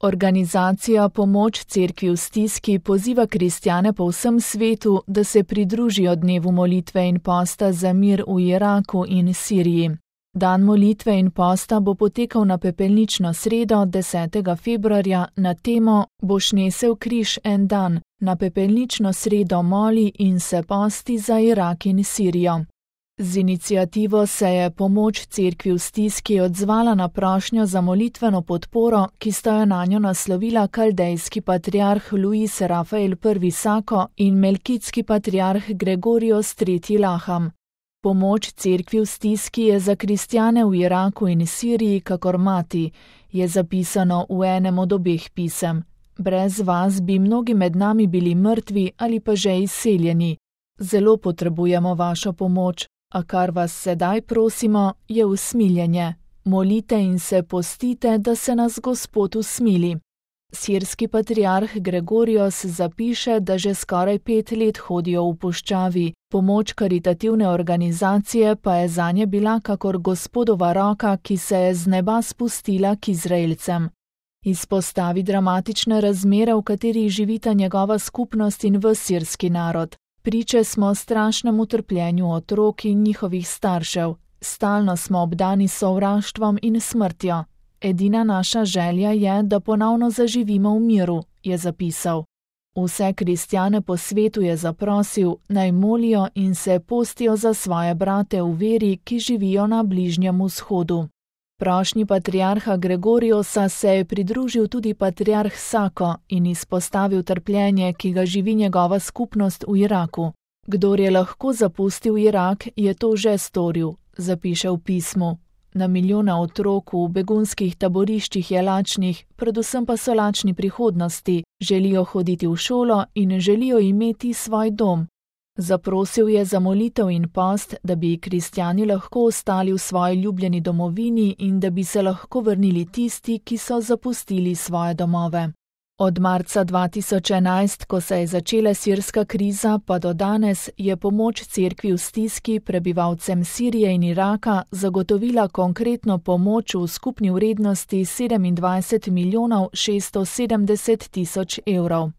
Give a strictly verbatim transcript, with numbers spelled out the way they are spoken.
Organizacija Pomoč cerkvi v stiski poziva kristjane po vsem svetu, da se pridružijo dnevu molitve in posta za mir v Iraku in Siriji. Dan molitve in posta bo potekal na pepelnično sredo desetega februarja na temo Boš nesel križ en dan, na pepelnično sredo moli in se posti za Irak in Sirijo. Z iniciativo se je Pomoč cerkvi v stiski odzvala na prošnjo za molitveno podporo, ki sta jo nanjo naslovila kaldejski patriarh Luis Rafael prvi Sako in melkitski patriarh Gregorios tretji Laham. Pomoč cerkvi v stiski je za kristjane v Iraku in Siriji kakor mati, je zapisano v enem od obeh pisem. Brez vas bi mnogi med nami bili mrtvi ali pa že izseljeni. Zelo potrebujemo vašo pomoč. A kar vas sedaj prosimo, je usmiljenje. Molite in se postite, da se nas Gospod usmili. Sirski patriarh Gregorios zapiše, da že skoraj pet let hodijo v puščavi, pomoč karitativne organizacije pa je zanje bila kakor Gospodova roka, ki se je z neba spustila k Izraelcem. Izpostavi dramatične razmere, v katerih živita njegova skupnost in ves sirski narod. Priče smo strašnemu trpljenju otrok in njihovih staršev, stalno smo obdani sovraštvom in smrtjo. Edina naša želja je, da ponovno zaživimo v miru, je zapisal. Vse kristjane po svetu je zaprosil, naj molijo in se postijo za svoje brate v veri, ki živijo na Bližnjem vzhodu. Prošnji patriarha Gregoriosa se je pridružil tudi patriarh Sako in izpostavil trpljenje, ki ga živi njegova skupnost v Iraku. Kdor je lahko zapustil Irak, je to že storil, zapiše v pismu. Na milijone otrok v begunskih taboriščih je lačnih, predvsem pa so lačni prihodnosti, želijo hoditi v šolo in želijo imeti svoj dom. Zaprosil je za molitev in post, da bi kristjani lahko ostali v svoji ljubljeni domovini in da bi se lahko vrnili tisti, ki so zapustili svoje domove. Od marca dva tisoč enajst, ko se je začela sirska kriza, pa do danes je Pomoč cerkvi v stiski prebivalcem Sirije in Iraka zagotovila konkretno pomoč v skupni vrednosti sedemindvajset milijonov šeststo sedemdeset tisoč evrov.